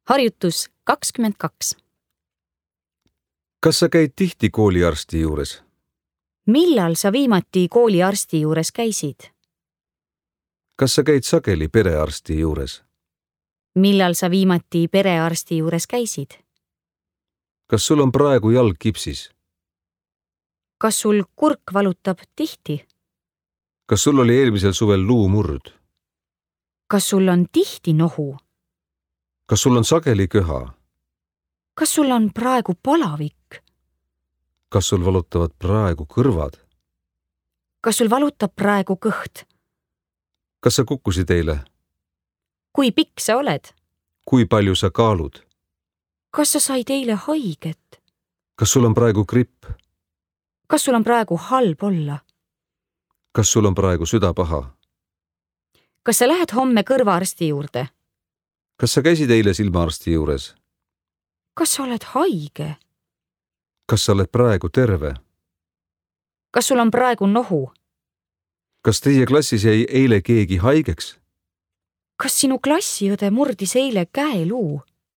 Harjutus 22. Kas sa käid tihti kooliarsti juures? Millal sa viimati kooliarsti juures käisid? Kas sa käid sageli perearsti juures? Millal sa viimati perearsti juures käisid? Kas sul on praegu jalg kipsis? Kas sul kurk valutab tihti? Kas sul oli eelmisel suvel luumurd? Kas sul on tihti nohu? Kas sul on sageli köha? Kas sul on praegu palavik? Kas sul valutavad praegu kõrvad? Kas sul valutab praegu kõht? Kas sa kukkusid eile? Kui pikk sa oled? Kui palju sa kaalud? Kas sa said eile haiget? Kas sul on praegu gripp? Kas sul on praegu halb olla? Kas sul on praegu süda paha? Kas sa lähed homme kõrvaarsti juurde? Kas sa käisid eile silmaarsti juures? Kas sa oled haige? Kas sa oled praegu terve? Kas sul on praegu nohu? Kas teie klassis jäi eile keegi haigeks? Kas sinu klassiõde murdis eile käeluu?